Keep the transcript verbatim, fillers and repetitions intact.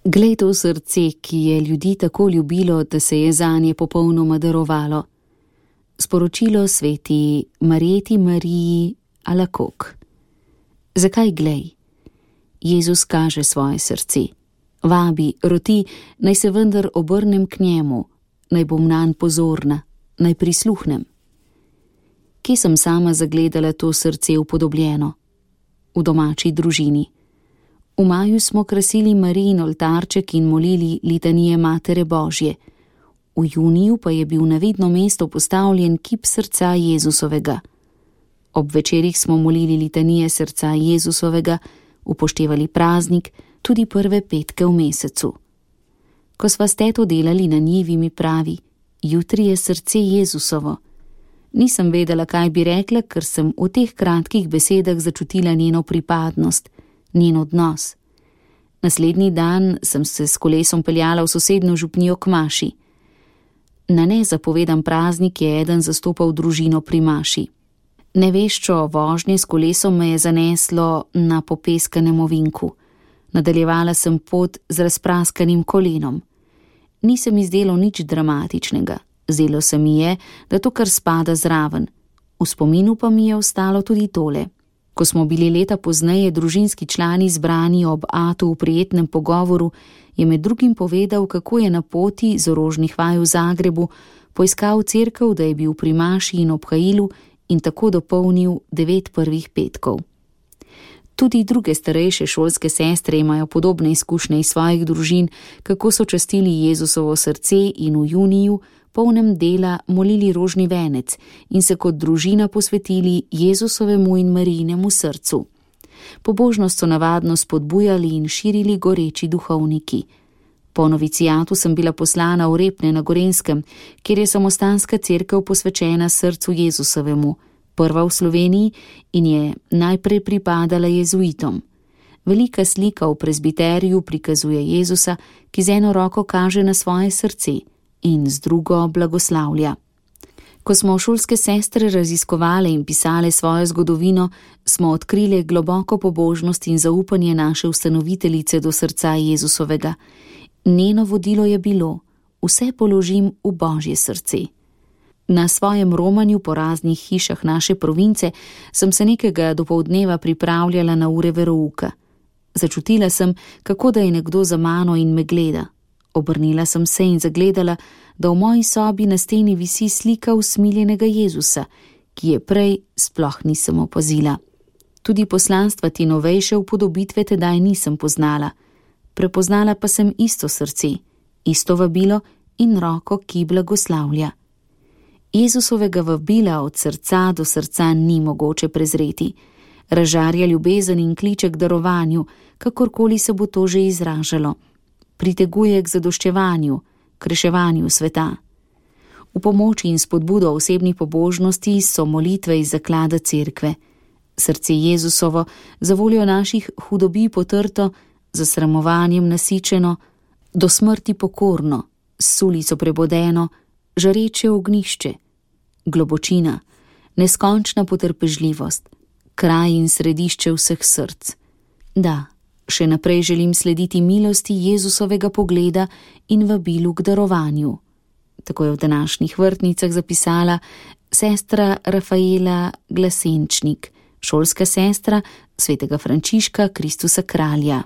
Glej to srce, ki je ljudi tako ljubilo, da se je zanje popolnoma darovalo. Sporočilo sveti Marjeti Mariji Alakok. Zakaj glej? Jezus kaže svoje srce. Vabi, roti, naj se vendar obrnem k njemu, naj bom nanj pozorna, naj prisluhnem. Kje sem sama zagledala to srce upodobljeno? V domači družini. V maju smo krasili Marijin oltarček in molili litanije Matere Božje. V juniju pa je bil na vidno mesto postavljen kip srca Jezusovega. Ob večerih smo molili litanije srca Jezusovega, upoštevali praznik, tudi prve petke v mesecu. Ko sva s teto delali na njivi, mi pravi, jutri je srce Jezusovo. Nisem vedela, kaj bi rekla, ker sem v teh kratkih besedah začutila njeno pripadnost, njen odnos. Naslednji dan sem se s kolesom peljala v sosednjo župnijo k maši. Na nezapovedan praznik je eden zastopal družino pri maši. Neveščo vožnje s kolesom me je zaneslo na popeskanem ovinku. Nadaljevala sem pot z razpraskanim kolenom. Ni se mi zdelo nič dramatičnega. Zdelo se mi je, da to kar spada zraven. V spominu pa mi je ostalo tudi tole. Ko smo bili leta pozneje družinski člani zbrani ob atu v prijetnem pogovoru, je med drugim povedal, kako je na poti z orožnih vaj v Zagrebu poiskal cerkev, da je bil pri maši in obhajilu in tako dopolnil devet prvih petkov. Tudi druge starejše šolske sestre imajo podobne izkušnje iz svojih družin, kako so častili Jezusovo srce in v juniju, polnem dela, molili rožni venec in se kot družina posvetili Jezusovemu in Marijinemu srcu. Pobožnost so navadno spodbujali in širili goreči duhovniki. Po novicijatu sem bila poslana v Repne na Gorenjskem, kjer je samostanska cerkev posvečena srcu Jezusovemu, prva v Sloveniji in je najprej pripadala jezuitom. Velika slika v prezbiteriju prikazuje Jezusa, ki z eno roko kaže na svoje srce in z drugo blagoslavlja. Ko smo šolske sestre raziskovale in pisale svojo zgodovino, smo odkrile globoko pobožnost in zaupanje naše ustanoviteljice do srca Jezusovega. Njeno vodilo je bilo: vse položim v Božje srce. Na svojem romanju po raznih hišah naše province sem se nekega dopoldneva pripravljala na ure verouka. Začutila sem, kako da je nekdo za mano in me gleda. Obrnila sem se in zagledala, da v moji sobi na steni visi slika usmiljenega Jezusa, ki je prej sploh nisem opazila. Tudi poslanstva te novejše upodobitve tedaj nisem poznala. Prepoznala pa sem isto srce, isto vabilo in roko, ki blagoslavlja. Jezusovega vabila od srca do srca ni mogoče prezreti. Razžarja ljubezen in kliče k darovanju, kakorkoli se bo to že izražalo. Priteguje k zadoščevanju, k reševanju sveta. V pomoči in spodbudo osebni pobožnosti so molitve iz zaklada cerkve. Srce Jezusovo za voljo naših hudobi potrto, za sramovanjem nasičeno, do smrti pokorno, s sulico prebodeno, žareče ognjišče, globočina, neskončna potrpežljivost, kraj in središče vseh src. Da, še naprej želim slediti milosti Jezusovega pogleda in vabilu k darovanju. Tako je v današnjih vrtnicah zapisala sestra Rafaela Glasenčnik, šolska sestra svetega Frančiška Kristusa Kralja.